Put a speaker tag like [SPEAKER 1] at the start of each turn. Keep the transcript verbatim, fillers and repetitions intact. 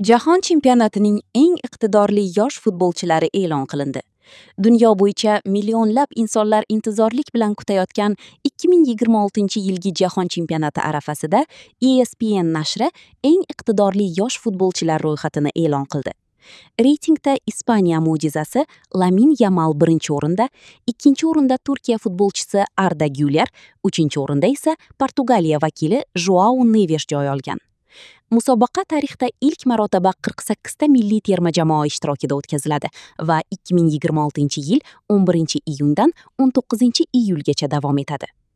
[SPEAKER 1] Jahon chempionatining eng iqtidorli yosh futbolchilari e'lon qilindi. Dunyo bo'yicha millionlab insonlar intizorlik bilan kutayotgan ikki ming yigirma oltinchi yilgi Jahon chempionati arafasida E S P N nashri eng iqtidorli yosh futbolchilar ro'yxatini e'lon qildi. Reytingda Ispaniya mo'jizasi Lamin Yamal birinchi o'rinda, ikkinchi o'rinda Turkiya futbolchisi Arda Güler, uchinchi o'rinda esa Portugaliya vakili Joao Neves joy olgan. Musobaqa tarixda ilk marotaba qirq sakkizta milliy terma jamoa ishtirokida o'tkaziladi va ikki ming yigirma oltinchi yil o'n birinchi iyundan o'n to'qqizinchi iyulgacha davom etadi.